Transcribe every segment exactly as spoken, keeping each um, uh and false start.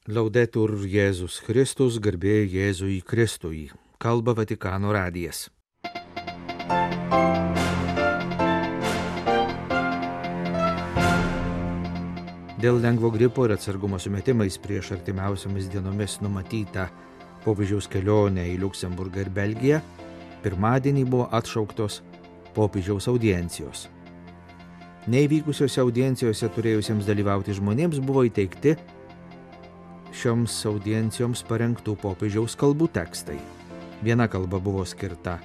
Laudetur Jėzus Kristus, garbė Jėzui Kristui. Kalba Vatikano radijas. Dėl lengvo gripo ir atsargumo sumetimais prieš artimiausiamis dienomis numatytą popiežiaus kelionę į Liuksemburgą ir Belgiją, pirmadienį buvo atšauktos popiežiaus audiencijos. Neįvykusiose audiencijose turėjusiems dalyvauti žmonėms buvo įteikti šioms audiencijoms parengtų popiežiaus kalbų tekstai. Viena kalba buvo skirta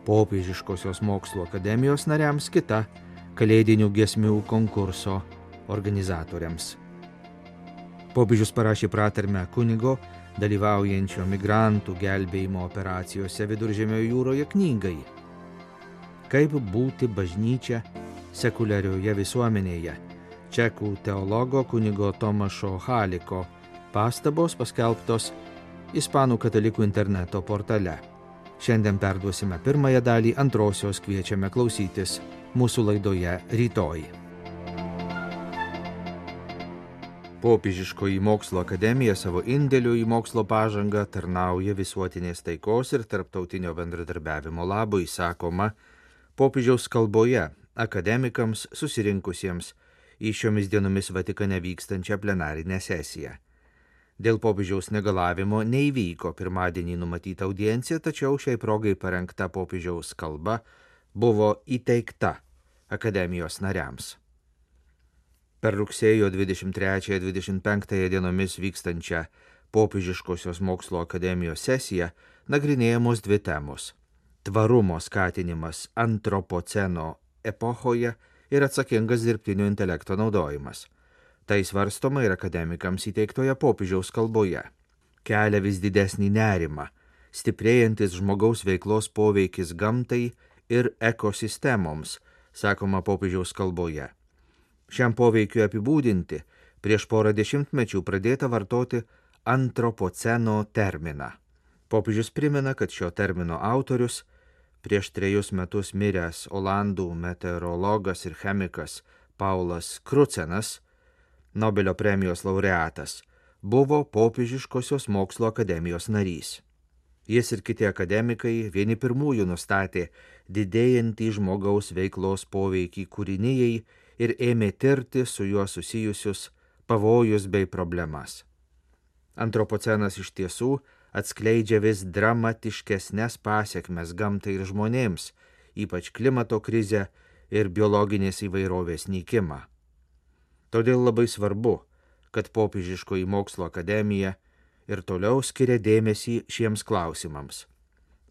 Popiežiškosios mokslo akademijos nariams, kita kalėdinių giesmių konkurso organizatoriams. Popiežius parašė pratarmę kunigo, dalyvaujančio migrantų gelbėjimo operacijose Viduržemio jūroje knygai. Kaip būti bažnyčia sekuliarioje visuomenėje? Čekų teologo kunigo Tomašo Haliko pastabos paskelbtos Ispanų katalikų interneto portale. Šiandien perduosime pirmąją dalį, antrosios kviečiame klausytis mūsų laidoje rytoj. Popiežiškoji mokslo akademija savo indėliu į mokslo pažangą tarnauja visuotinės taikos ir tarptautinio bendradarbiavimo labui, sakoma popiežiaus kalboje akademikams susirinkusiems į šiomis dienomis Vatikane vykstančią plenarinę sesiją. Dėl popiežiaus negalavimo neįvyko pirmadienį numatyta audiencija, tačiau šiai progai parengta popiežiaus kalba buvo įteikta akademijos nariams. Per rugsėjo dvidešimt trečiąją dvidešimt penktąją dienomis vykstančią Popiežiškosios mokslo akademijos sesiją nagrinėjamos dvi temos – tvarumo skatinimas antropoceno epochoje ir atsakingas dirbtinio intelekto naudojimas. Tai svarstoma ir akademikams įteiktoje popiežiaus kalboje. Kelia vis didesnį nerimą, stiprėjantis žmogaus veiklos poveikis gamtai ir ekosistemoms, sakoma popiežiaus kalboje. Šiam poveikiu apibūdinti prieš porą dešimtmečių pradėta vartoti antropoceno terminą. Popiežius primena, kad šio termino autorius, prieš trejus metus miręs olandų meteorologas ir chemikas Paulas Krucenas, Nobelio premijos laureatas, buvo Popiežiškosios mokslo akademijos narys. Jis ir kiti akademikai vieni pirmųjų nustatė didėjantį žmogaus veiklos poveikį kūrinijai ir ėmė tirti su juo susijusius pavojus bei problemas. Antropocenas iš tiesų atskleidžia vis dramatiškesnes pasekmes gamtai ir žmonėms, ypač klimato krizę ir biologinės įvairovės nykimą. Todėl labai svarbu, kad Popiežiškoji mokslo akademija ir toliau skiria dėmesį šiems klausimams.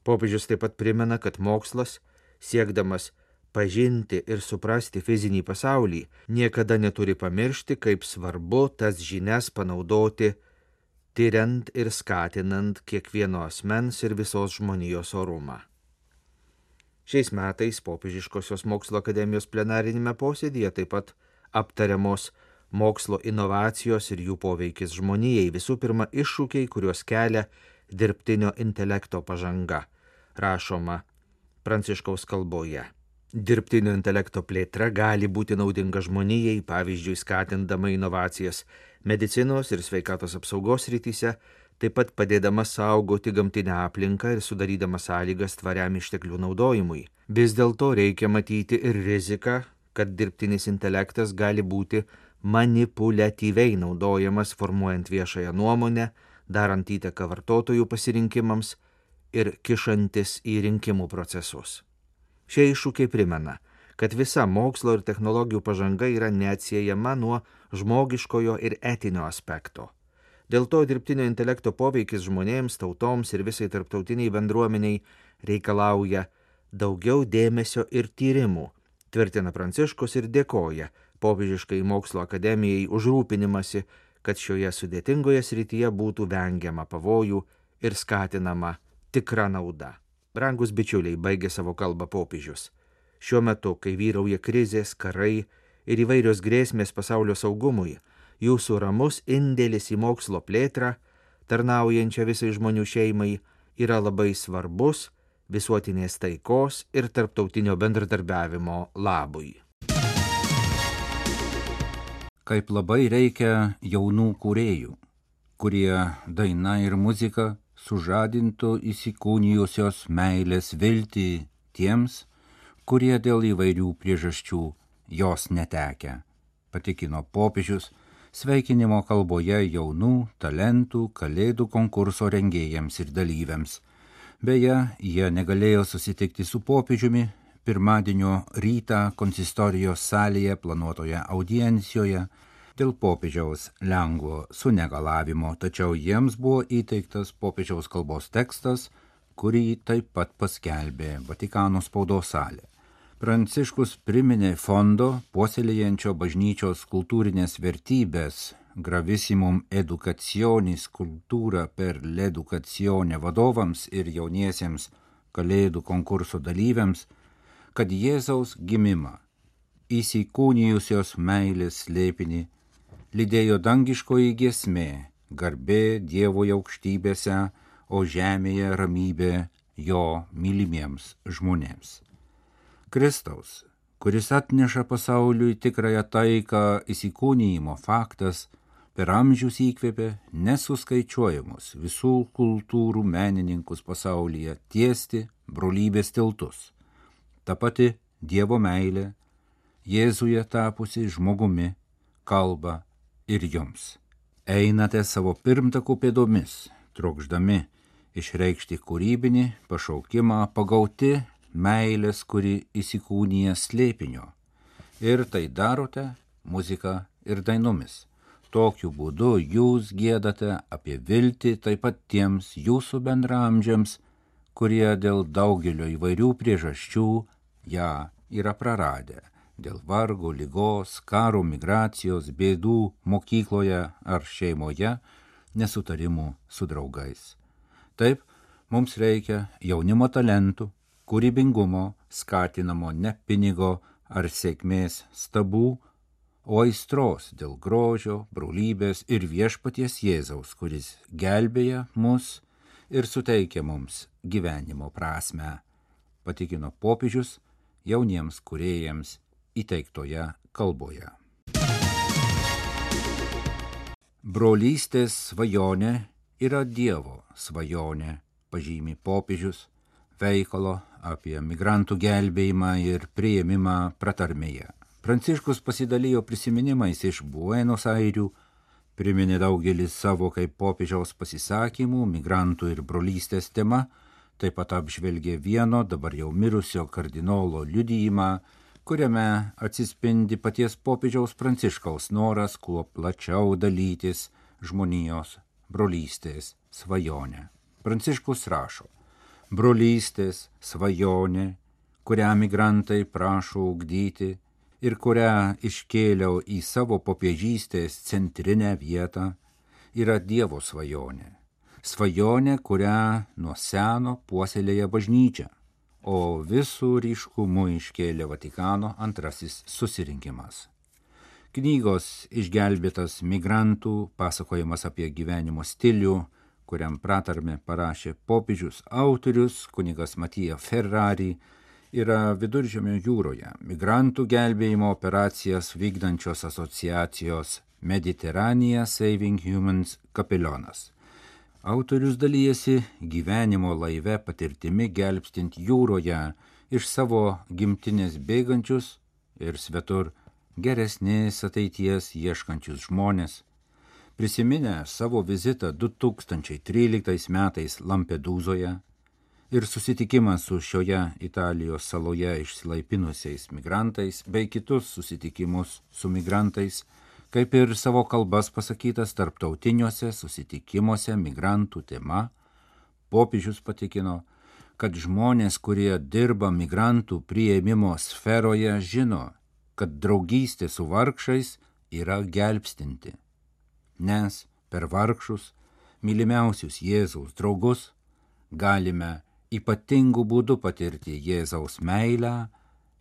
Popiežius taip pat primena, kad mokslas, siekdamas pažinti ir suprasti fizinį pasaulį, niekada neturi pamiršti, kaip svarbu tas žinias panaudoti, tiriant ir skatinant kiekvieno asmens ir visos žmonijos orumą. Šiais metais Popiežiškosios mokslo akademijos plenarinėme posėdyje taip pat aptariamos mokslo inovacijos ir jų poveikis žmonijai, visų pirma iššūkiai, kuriuos kelia dirbtinio intelekto pažanga, rašoma Pranciškaus kalboje. Dirbtinio intelekto plėtra gali būti naudinga žmonijai, pavyzdžiui, skatindama inovacijas medicinos ir sveikatos apsaugos srityse, taip pat padėdama saugoti gamtinę aplinką ir sudarydama sąlygas tvariam išteklių naudojimui. Vis dėlto reikia matyti ir riziką, kad dirbtinis intelektas gali būti manipuliatyviai naudojamas formuojant viešąją nuomonę, darant įtaką vartotojų pasirinkimams ir kišantis į rinkimų procesus. Šie iššūkiai primena, kad visa mokslo ir technologijų pažanga yra neatsiejama nuo žmogiškojo ir etinio aspekto. Dėl to dirbtinio intelekto poveikis žmonėms, tautoms ir visai tarptautiniai bendruomeniai reikalauja daugiau dėmesio ir tyrimų, tvirtina Pranciškus ir dėkoja Popiežiškai mokslo akademijai už rūpinimąsi, kad šioje sudėtingoje srityje būtų vengiama pavojų ir skatinama tikra nauda. Brangus bičiuliai, baigė savo kalbą popiežius. Šiuo metu, kai vyrauja krizės, karai ir įvairios grėsmės pasaulio saugumui, jūsų ramus indėlis į mokslo plėtrą, tarnaujančią visai žmonių šeimai, yra labai svarbus visuotinės taikos ir tarptautinio bendradarbiavimo labui. Kaip labai reikia jaunų kūrėjų. kurie daina ir muzika sužadintų įsikūnijusios meilės viltį tiems, kurie dėl įvairių priežasčių jos netekę, patikino popiežius sveikinimo kalboje jaunų talentų kalėdų konkurso rengėjams ir dalyviams. Beje, jie negalėjo susitikti su popiežiumi pirmadienio rytą konsistorijos salėje planuotoje audiencijoje dėl popiežiaus lengvo sunegalavimo, tačiau jiems buvo įteiktas popiežiaus kalbos tekstas, kurį taip pat paskelbė Vatikano spaudos salė. Pranciškus priminė fondo puoselėjančio bažnyčios kultūrinės vertybės Gravissimum Educationis Cultura per l'Educazione vadovams ir jauniesiems kalėdų konkurso dalyviams, kad Jėzaus gimimą, įsikūnijusios meilės slėpinį, lydėjo dangiškoji giesmė, garbė Dievo aukštybėse, o žemėje ramybė jo mylimiems žmonėms. Kristaus, kuris atneša pasauliui tikrąją taiką įsikūnijimo faktas, per amžius įkvėpė nesuskaičiuojamus visų kultūrų menininkus pasaulyje tiesti brolybės tiltus. Ta pati Dievo meilė, Jėzuje tapusi žmogumi, kalba ir jums. Einate savo pirmtakų pėdomis, trokšdami išreikšti kūrybinį pašaukimą pagauti meilės, kuri įsikūnija slėpinio. Ir tai darote muzika ir dainomis. Tokiu būdu jūs giedate apie viltį taip pat tiems jūsų bendraamžiams, kurie dėl daugelio įvairių priežasčių ją yra praradę. Dėl vargo, ligos, karo, migracijos, bėdų mokykloje ar šeimoje, nesutarimų su draugais. Taip, mums reikia jaunimo talentų, kūrybingumo, skatinamo ne pinigo ar sėkmės stabų, o aistros dėl grožio, brolybės ir viešpaties Jėzaus, kuris gelbėja mus ir suteikia mums gyvenimo prasmę, patikino popiežius jauniems kūrėjams įteiktoje kalboje. Brolystės svajonė yra Dievo svajonė, pažymi popiežius veikalo apie migrantų gelbėjimą ir priėmimą pratarmėje. Pranciškus pasidalijo prisiminimais iš Buenos Airių, priminė daugelį savo kaip popiežiaus pasisakymų migrantų ir brolystės tema, taip pat apžvelgė vieno dabar jau mirusio kardinolo liudijimą, kuriame atsispindi paties popiežiaus Pranciškaus noras kuo plačiau dalytis žmonijos brolystės svajonę. Pranciškus rašo: brolystės svajonė, kurią migrantai prašo ugdyti ir kurią iškėliau į savo popiežystės centrinę vietą, yra Dievo svajonė. Svajonė, kurią nuo seno puoselėja bažnyčia, o visų ryškumu iškėlė Vatikano antrasis susirinkimas. Knygos Išgelbėtas migrantų pasakojimas apie gyvenimo stilių, kuriam pratarmę parašė popiežius autorius kunigas Matija Ferrari, yra Viduržemio jūroje migrantų gelbėjimo operacijas vykdančios asociacijos Mediterranean Saving Humans kapelionas. Autorius dalyjasi gyvenimo laive patirtimi gelbstint jūroje iš savo gimtinės bėgančius ir svetur geresnės ateities ieškančius žmonės. Prisiminę savo vizitą du tūkstančiai tryliktais metais Lampedūzoje ir susitikimą su šioje Italijos saloje išsilaipinusiais migrantais bei kitus susitikimus su migrantais, kaip ir savo kalbas pasakytas tarptautiniuose susitikimuose migrantų tema, popiežius patikino, kad žmonės, kurie dirba migrantų priėmimo sferoje, žino, kad draugystė su vargšais yra gelbstinti. Nes per vargšus, mylimiausius Jėzaus draugus, galime ypatingų būdų patirti Jėzaus meilę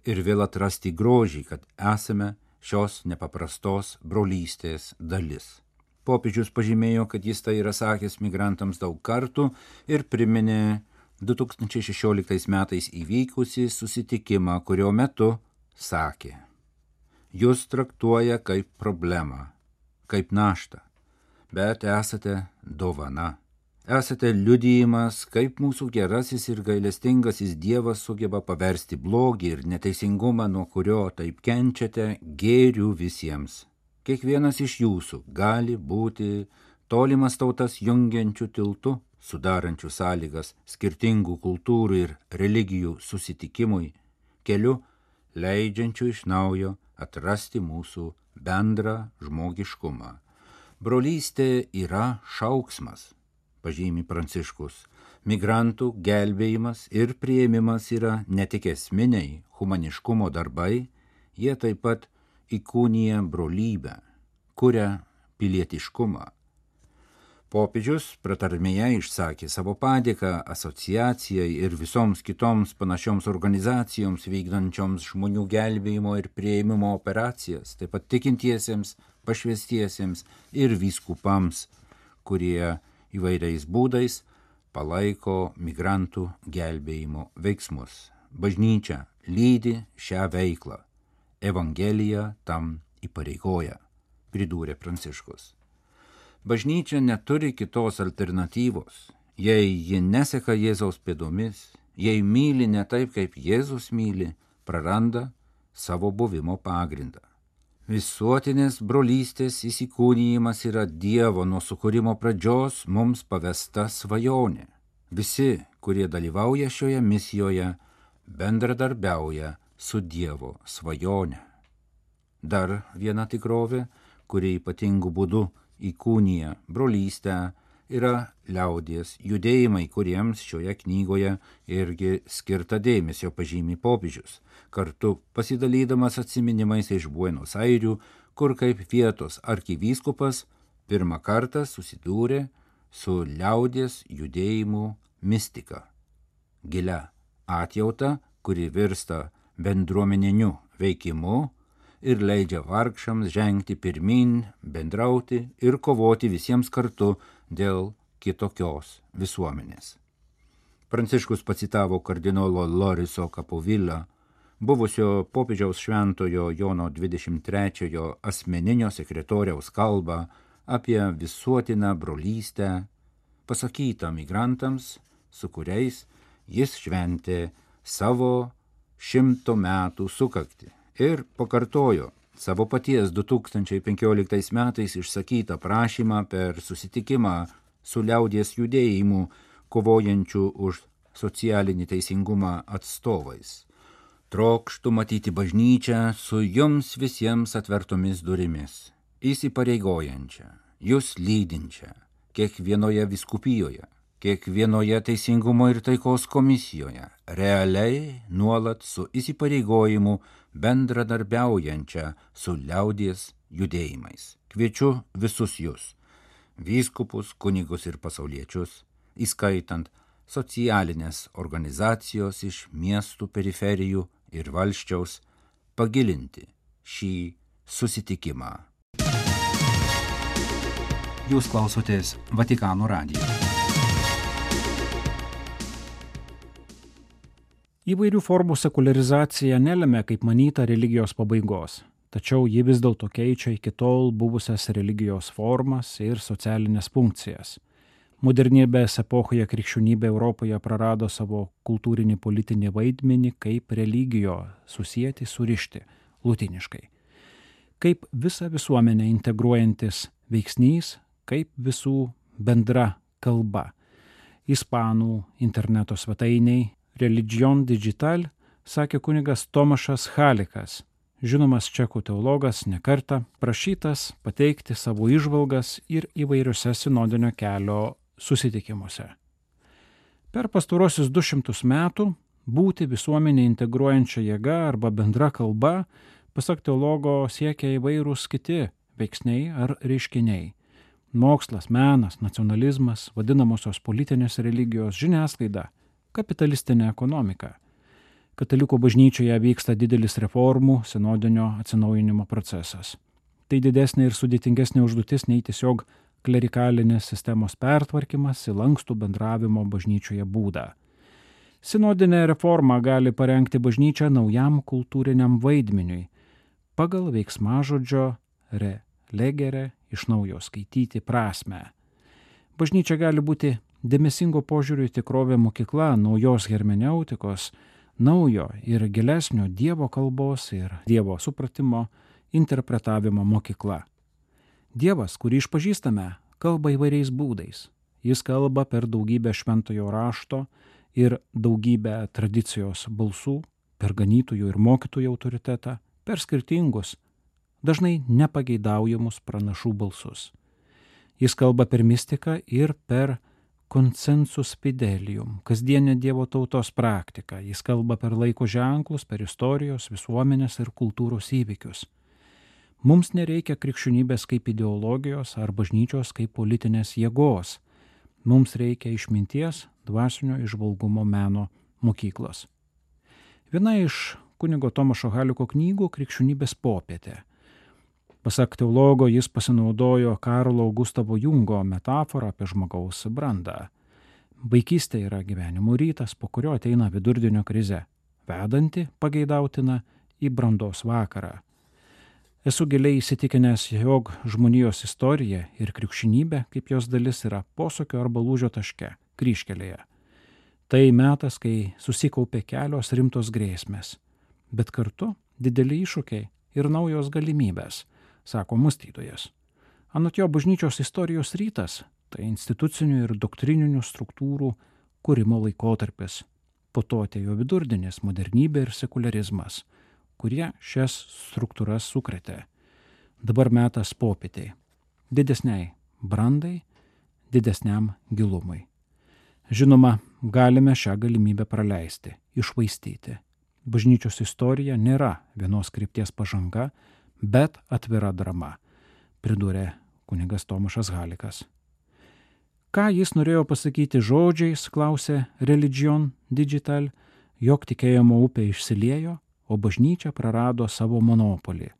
ir vėl atrasti grožį, kad esame šios nepaprastos brolystės dalis. Popiežius pažymėjo, kad jis tai yra sakęs migrantams daug kartų ir priminė du tūkstančiai šešioliktais metais įvykusį susitikimą, kurio metu sakė: jūs traktuoja kaip problemą, kaip naštą, bet esate dovana. Esate liudijimas, kaip mūsų gerasis ir gailestingasis Dievas sugeba paversti blogį ir neteisingumą, nuo kurio taip kenčiate, gėriu visiems. Kiekvienas iš jūsų gali būti tolimas tautas jungiančių tiltų, sudarančių sąlygas skirtingų kultūrų ir religijų susitikimui, keliu leidžiančių iš naujo atrasti mūsų bendrą žmogiškumą. Brolystė yra šauksmas, pažymi Pranciškus. Migrantų gelbėjimas ir priėmimas yra ne tik esminiai humaniškumo darbai, jie taip pat įkūnija brolybę, kuria pilietiškumą. Popiežius pratarmėje išsakė savo padėką asociacijai ir visoms kitoms panašioms organizacijoms vykdančioms žmonių gelbėjimo ir priėmimo operacijas, taip pat tikintiesiems, pašvęstiesiems ir vyskupams, kurie įvairiais būdais palaiko migrantų gelbėjimo veiksmus. Bažnyčia lydi šią veiklą. Evangelija tam įpareigoja, pridūrė Pranciškus. Bažnyčia neturi kitos alternatyvos. Jei ji neseka Jėzaus pėdomis, jei myli ne taip, kaip Jėzus myli, praranda savo buvimo pagrindą. Visuotinės brolystės įsikūnijimas yra Dievo nuo sukūrimo pradžios mums pavesta svajonė. Visi, kurie dalyvauja šioje misijoje, bendradarbiauja su Dievo svajone. Dar viena tikrovė, kuri ypatingų būdų įkūnija brolystę, yra liaudies judėjimai, kuriems šioje knygoje irgi skirta dėmesio, pažymi popiežius, kartu pasidalydamas atsiminimais iš Buenos Airių, kur kaip vietos arkivyskupas pirmą kartą susidūrė su liaudies judėjimų mistika, gilia atjauta, kuri virsta bendruomeniniu veikimu ir leidžia vargšams žengti pirmyn, bendrauti ir kovoti visiems kartu dėl kitokios visuomenės. Pranciškus pacitavo kardinolo Loriso Capovilla, buvusio popiežiaus šventojo Jono dvidešimt trečiojo asmeninio sekretoriaus kalbą apie visuotiną brolystę, pasakytą migrantams, su kuriais jis šventė savo šimto metų sukaktį. Ir pakartojo savo paties du tūkstančiai penkioliktais metais išsakytą prašymą per susitikimą su liaudies judėjimu kovojančių už socialinį teisingumą atstovais. Trokštu matyti bažnyčią su jums visiems atvertomis durimis, įsipareigojančią, jūs lydinčią, kiekvienoje vyskupijoje, kiekvienoje teisingumo ir taikos komisijoje, realiai nuolat su įsipareigojimu bendradarbiaujančią su liaudies judėjimais. Kviečiu visus jūs, vyskupus, kunigus ir pasauliečius, įskaitant socialinės organizacijos iš miestų periferijų ir valsčiaus, pagilinti šį susitikimą. Jūs klausotės Vatikano radijo. Įvairių formų sekuliarizacija nelemia, kaip manyta, religijos pabaigos, tačiau ji vis dėlto keičia iki tol buvusias religijos formas ir socialinės funkcijas. Modernybės epochoje krikščionybė Europoje prarado savo kultūrinį politinį vaidmenį kaip religijo susieti, surišti, lutiniškai. Kaip visą visuomenę integruojantis veiksnys, kaip visų bendra kalba. Ispanų interneto svetainiai Religion Digital, sakė kunigas Tomašas Halikas, žinomas čekų teologas, nekartą prašytas pateikti savo įžvalgas ir įvairiuose sinodinio kelio susitikimuose. Per pastarosius du šimtus metų būti visuomenę integruojančia jėga arba bendra kalba, pasak teologo, siekia įvairūs kiti veiksniai ar reiškiniai. Mokslas, menas, nacionalizmas, vadinamosios politinės religijos, žiniasklaida, kapitalistinė ekonomika. Katalikų bažnyčioje vyksta didelis reformų, sinodinio atsinaujinimo procesas. Tai didesnė ir sudėtingesnė užduotis nei tiesiog klerikalinės sistemos pertvarkymas į lankstų bendravimo bažnyčioje būdą. Sinodinė reforma gali parengti bažnyčią naujam kultūriniam vaidmeniui, pagal veiksmažodžio re legere iš naujo skaityti prasme. Bažnyčia gali būti dėmesingo požiūrio į tikrovę mokykla, naujos hermeneutikos, naujo ir gilesnio Dievo kalbos ir Dievo supratimo, interpretavimo mokykla. Dievas, kurį išpažįstame, kalba įvairiais būdais. Jis kalba per daugybę šventojo rašto ir daugybę tradicijos balsų, per ganytojų ir mokytojų autoritetą, per skirtingus, dažnai nepageidaujamus pranašų balsus. Jis kalba per mistiką ir per consensus fidelium, kasdienę Dievo tautos praktiką. Jis kalba per laiko ženklus, per istorijos, visuomenės ir kultūros įvykius. Mums nereikia krikščionybės kaip ideologijos ar bažnyčios kaip politinės jėgos. Mums reikia išminties, dvasinio įžvalgumo meno mokyklos. Viena iš kunigo Tomašo Haliko knygų Krikščionybės popietė. Pasak teologo, jis pasinaudojo Karlo Gustavo Jungo metaforą apie žmogaus brandą. Vaikystė yra gyvenimo rytas, po kurio ateina vidurdienio krize, vedanti pageidautina į brandos vakarą. Esu giliai įsitikinęs, jog žmonijos istorija ir krikščionybė kaip jos dalis yra posūkio arba lūžio taške, kryžkelėje. Tai metas, kai susikaupė kelios rimtos grėsmės, bet kartu dideli iššūkiai ir naujos galimybės, sako mąstytojas. Anot jo, bažnyčios istorijos rytas – tai institucinių ir doktrininių struktūrų kūrimo laikotarpis. Po to atėjo vidurdienis, modernybė ir sekularizmas, kurie šias struktūras sukrėtė. Dabar metas popietei, didesniai brandai, didesniam gilumui. Žinoma, galime šią galimybę praleisti, išvaistyti. Bažnyčios istorija nėra vienos krypties pažanga, bet atvira drama, pridūrė kunigas Tomašas Halikas. Ką jis norėjo pasakyti žodžiais, klausė Religion Digital, jog tikėjimo upė išsiliejo, o bažnyčia prarado savo monopolį.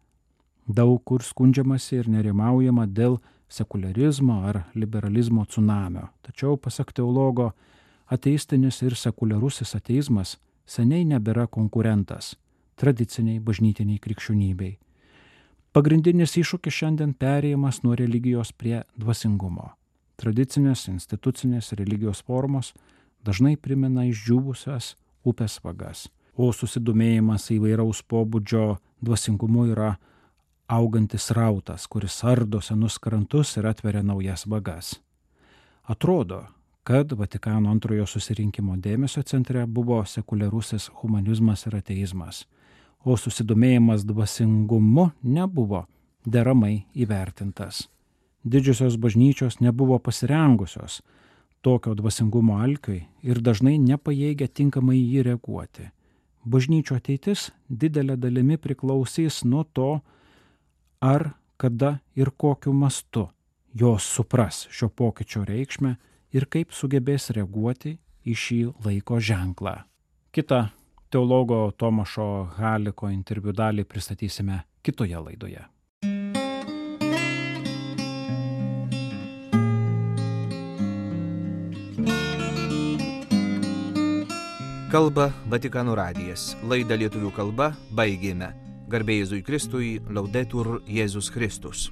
Daug kur skundžiamasi ir nerimaujama dėl sekularizmo ar liberalizmo tsunamio. Tačiau, pasak teologo, ateistinis ir sekuliarusis ateizmas seniai nebėra konkurentas tradiciniai bažnytiniai krikščionybei. Pagrindinis iššūkis šiandien perėjimas nuo religijos prie dvasingumo. Tradicinės institucinės religijos formos dažnai primena išdžiūvusias upės vagas, o susidomėjimas įvairaus pobūdžio dvasingumu yra augantis rautas, kuris ardo senus krantus ir atveria naujas vagas. Atrodo, kad Vatikano antrojo susirinkimo dėmesio centre buvo sekuliarusis humanizmas ir ateizmas, o susidomėjimas dvasingumu nebuvo deramai įvertintas. Didžiosios bažnyčios nebuvo pasirengusios tokio dvasingumo alkiui ir dažnai nepajėgia tinkamai jį reaguoti. Bažnyčio ateitis didelė dalimi priklausys nuo to, ar, kada ir kokiu mastu jos supras šio pokyčio reikšmę ir kaip sugebės reaguoti į šį laiko ženklą. Kita teologo Tomašo Haliko interviu dalį pristatysime kitoje laidoje. Kalba Vatikano radijas. Laidą lietuvių kalba baigėme. Garbė Jėzui Kristui, Laudetur Jėzus Kristus.